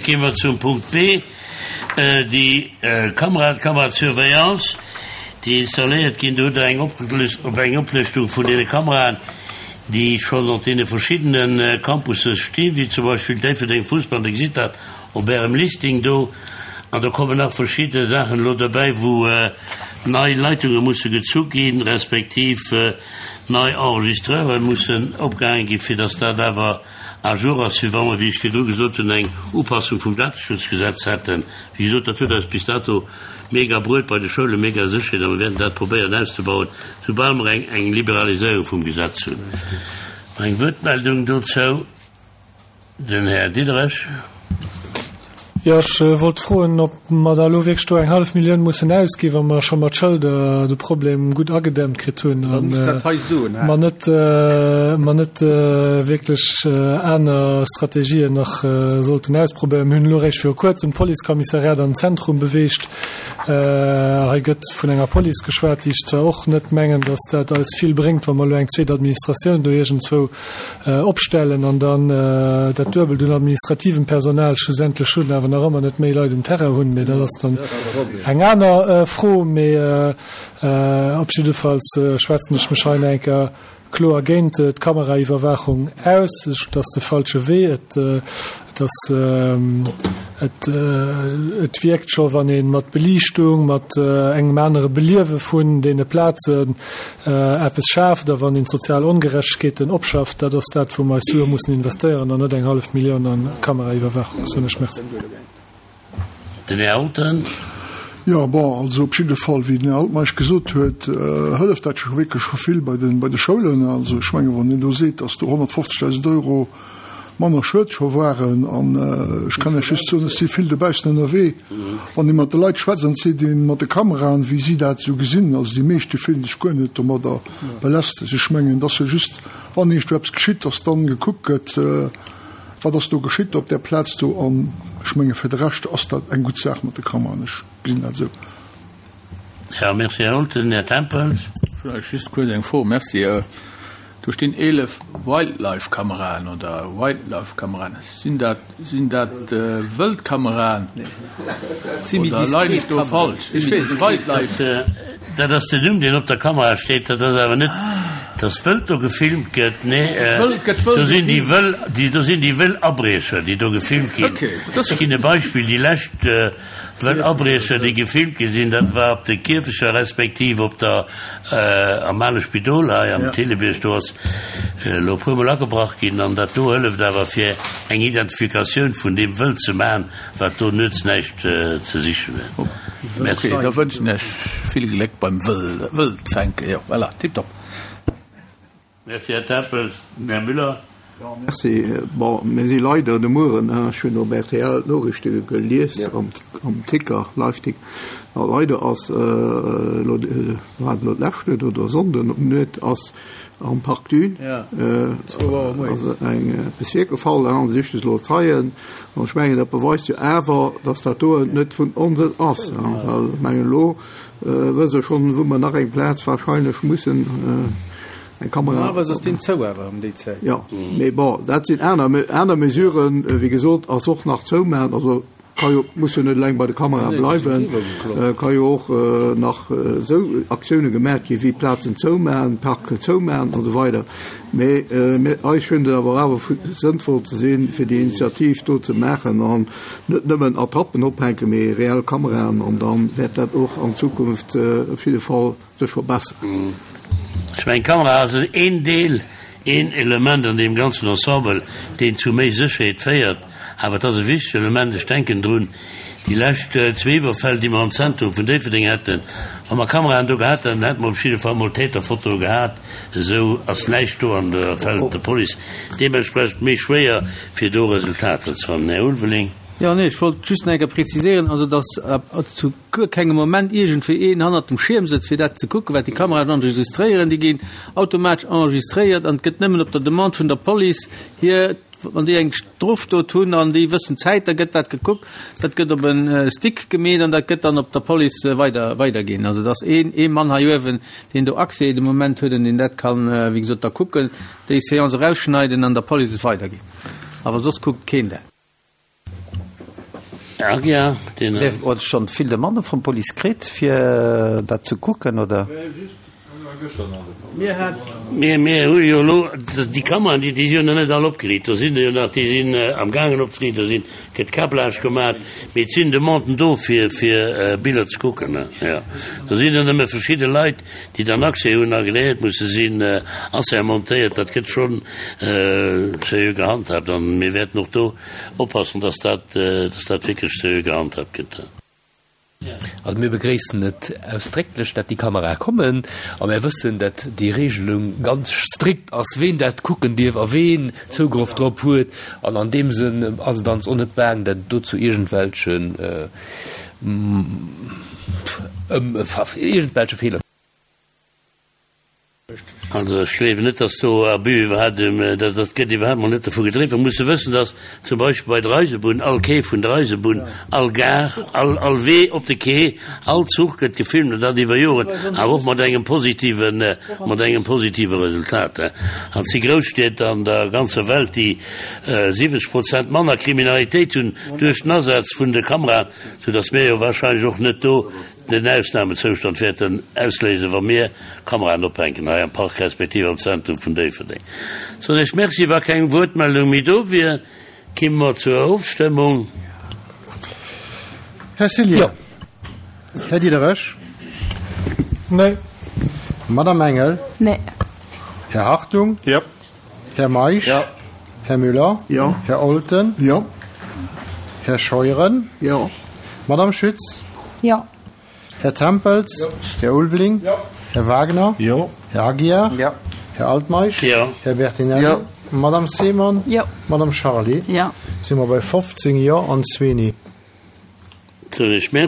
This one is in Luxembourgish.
Gi mer zum Punkt B, déi Kamera, d'Camera de surveillance, déi installéiert ginn. Do hutt Der eng op eng Oplëschtung vun deene Kameraen, déi schonn op deene verschiddene Campusse stinn, wéi zum Beispill Déifferdeng, Fussball, Dir gesitt dat op Ärem Listing do. An do kommen nach verschidde Saachen elo derbäi, wou nei Leitunge musse gezu ginn, respektiv nei Enregistreure mussen opgehaange ginn, fir dass dat awer à jour ass, wéi wa mer, wéi ech virdru gesot hunn, eng Upassung vum Dateschutzgesetz hätten. Wéi gesot, dat huet eis bis dato mega bruet bei de Schoulen, mega Sécherheet, a mer wäerten dat probéieren auszebauen, soubal mer eng Liberaliséierung vum Gesetz hunn. Eng Wuertmeldung dozou? Den Här Diderich. Jo, ech wollt froen, ob mer da elo wierklech do eng hallef Millioun mussen ausginn, wa mer scho mat Schëlder de Problem gutt agedämmt kritt hunn a mer net, mer net wierklech aner Strategien nach sollten ausprobéieren. Mir hunn elo eréischt viru Kuerzem d'Policekommissariat an den Zentrum beweegt. Hei gëtt vun enger Police geschwat, déi ech zwar och net mengen, datt dat eis vill bréngt, wa mer elo eng zweet Administratioun do iergendzwou opstellen an dann dat Duebelt un administrativem Personal schlussendlech hunn, awer nach ëmmer net méi Leit um Terrain hunn. Mee dat ass dann eng aner Fro. Mee op jiddefalls schwätzen ech mech hei nach eng Kéier kloer géint d'Kameraiwwerwaachung aus. Et ass de falsche Wee. Et ass, et, et wierkt scho, wann ee mat Beliichtung, mat engem anere Beliewe vun deene Plazen, eppes schaaft a wann een d'sozial Ongerechtegkeeten opschafft, dat ass dat, wou mer eis Sue mussen investéieren an net eng hallef Millioun an Kameraiwwerwaachung, soen ech. Merci. Den Här Althen. Jo, bon, also op jidde Fall, wéi den Här Altmeisch gesot huet, hëlleft dat scho wierklech scho vill bei de, bei de Schoulen. Also ech menge wann een do seet, datt do 150.000 Euro manner Schued scho waren, an ech kann Iech just soen, ech si vill dobaussen ënnerwee, wann ee mat de Leit schwätzt an et seet een mat de Kameraen, wéi si dat esou gesinn, also déi meescht, déi fillen sech guer net domadder belästegt. Ech mengen, et ass jo just, wann iergendwou eppes geschitt, datt dann gekuckt gëtt, wat ass do geschitt op där Plaz do, an ech menge fir de Rescht ass dat eng gutt Saach mat de Kameraen, ech gesinn dat esou. Jo, merci, Här Olten. Här Tempels. Vläicht just kuerz eng Fro. Merci. Do stinn 11 Wildlife-Kameraen oder Wildlife-Kameraen. Sinn dat, sinn dat Wëldkameraen oder leien ech do falsch? Ech weess, Wildlife. Dat ass den Numm, deen op der Kamera steet. Dat ass awer net, dass Wëld do gefilmt gëtt. Nee, do sinn déi wëll, do sinn déi wëll Abriecher, déi do gefilmt ginn. Ech ginn e Beispill, déi lescht Wëll Abriecher, déi gefilmt gi sinn, dat war op de Kierfecher respektiv op der, am ale Spidol hei am Thillebiërg, do ass elo e puermol agebrach ginn an dat do hëlleft awer fir eng Identifikatioun vun deem Wëld ze maachen, wat do nuets näischt ze sichen huet. Merci. Ok, da wënschen ech vill Gléck beim Wëldfänken. Jo, voilà, tiptop. Merci, Här Tempels. Den Här Müller. Jo, merci. Bon, mir si leider de Mueren, ech hunn op rtl d'Noriichte gelies am Ticker, Live-Ticker, a leider ass elo, war et elo d'lescht Nuet oder e Sonnden op d'Nuet, ass am Parc Dune ass eng eppes virgefall, an si siche elo Zeien. An ech mengen, dat beweist jo awer, datt dat doen net vun Onsënn ass, well ech mengen elo wësse schonn, wou mer nach eng Plaz wahrscheinlech mussen eng Kamera. Normalerweis ass deen zou awer ëm déi Zäit. Jo, mee bon, dat sinn aner, aner Mesuren, wéi gesot, ass och nach zoumaachen, also ka jo, muss jo net eleng bei de Kamerae bleiwen, ka jo och nach esou Aktioune gemaach gi wéi Plazen zoumaachen, Parke zoumaachen an esou weider. Mee mir, eis schéngt et awer awer sënnvoll ze sinn, fir déi Initiativ do ze maachen an net nëmmen Attrappen ophänken, mee reell Kameraen an da wäert dat och an Zukunft op jidde Fall sech verbesseren. Ech mengen, d'Kamera ass een Deel, een Element an deem ganzen Ensemble, deen zu méi Sécherheet féiert. Awer et ass e wichtegt Element. Ech denken drun, déi lescht zwee Iwwerfäll, déi mer am Zentrum vun Déifferdeng haten. Wa mer Kameraen do gehat hätten, hätte mer op jidde Fall mol Täterfotoe gehat. Esou ass näischt do an da fält et der Police deementsprechend méi schwéier, fir do Resultater ze fannen. Här Ulveling. Jo, nee, ech wollt just nach eng Kéier preziséieren, also dass zu guer kengem Moment iergendwéi een hannert dem Schierm sëtzt, fir dat ze kucken, wat déi Kameraen enregistréieren. Déi ginn automatesch enregistréiert an et gëtt nëmmen op der Demande vun der Police hier, wann déi eng Strofdot hunn an déi wëssen d'Zäit, da gëtt dat gekuckt, dat gëtt op e Stick gemeet an dat gëtt dann op der Police weider weiderginn. Also et ass een, ee Mann hei uewen, deen do Accès de Moment huet an deen dat kann, wéi gesot, da kucken, déi Seance erausschneiden an der Police et weiderginn. Awer soss kuckt keen dat. Aguiar, deen. Dir hutt schonn vill Demandë vum Police kritt, fir dat ze kucken, oder? Mir, mir hu jo elo déi Kameraen, déi, déi si jo nach net all opgeriicht. Do sinn der jo nach, déi sinn amgaangen opzeriichten, do sinn, gëtt Câblage gemaach. Mee et sinn Demanden do, fir, fir Biller ze kucken. Jo, do sinn der nëmme verschidde Leit, déi dann Accès hunn, agreéiert musse sinn, assermentéiert. Dat gëtt schonn seriö gehandhaabt an mir wäerten och do oppassen, dass dat, dass dat wierklech seriö gehandhaabt gëtt. Also mir begréissen et ausdrécklech, dat déi Kamerae kommen a mär wëssen, dat déi Regelung ganz strikt ass, ween dat kucken dierf a ween Zougrëff drop huet. An an deem Sënn ass et ans och net baang, dat et do zu iergendwelchen, iergendwelche Feeler. Also ech gleewen net, dass do Abus iwwerhaapt, dat dat gëtt iwwerhaapt mol net dovu gedriwwen. Mer musse wëssen, dass zum Beispill bei der Eisebunn all Quai vun der Eisebunn, all Gare, all all Wee op de Quai, all Zuch gëtt gefilmt an dat iwwer Joren, awer och mat engem positiven, mat engem positive Resultat. An et si Grousstied an der ganzer Welt, déi 70 Prozent manner Kriminalitéit hunn duerch den Asaz vun de Kameraen, soudass mir jo wahrscheinlech och net do den Ausnamezoustand wäerten ausléisen, wa mir Kameraen ophänken hei am Park respektiv am Zentrum vun Déifferdeng. Soen ech Merci. Wa keng Wuertmeldung méi do wier, kimme mer zur Ofstëmmung. Här Cillien. Här Diderich. Nee. Madame Engel. Nee. Här Hartung. Jo. Här Meisch. Jo. Här Müller. Jo. Här Olten. Jo. Här Scheuren. Jo. Madame Schütz. Jo. Här Tempels. Jo. Här Ulveling. Jo. Här Wagner. Jo. Här Aguiar. Jo. Här Altmeisch. Jo. Här Bertinelli. Jo. Madame Seemann. Jo. Madame Charlé. Jo. Si mer bei 15 Jo an zwee Nee. Soen ech Merci.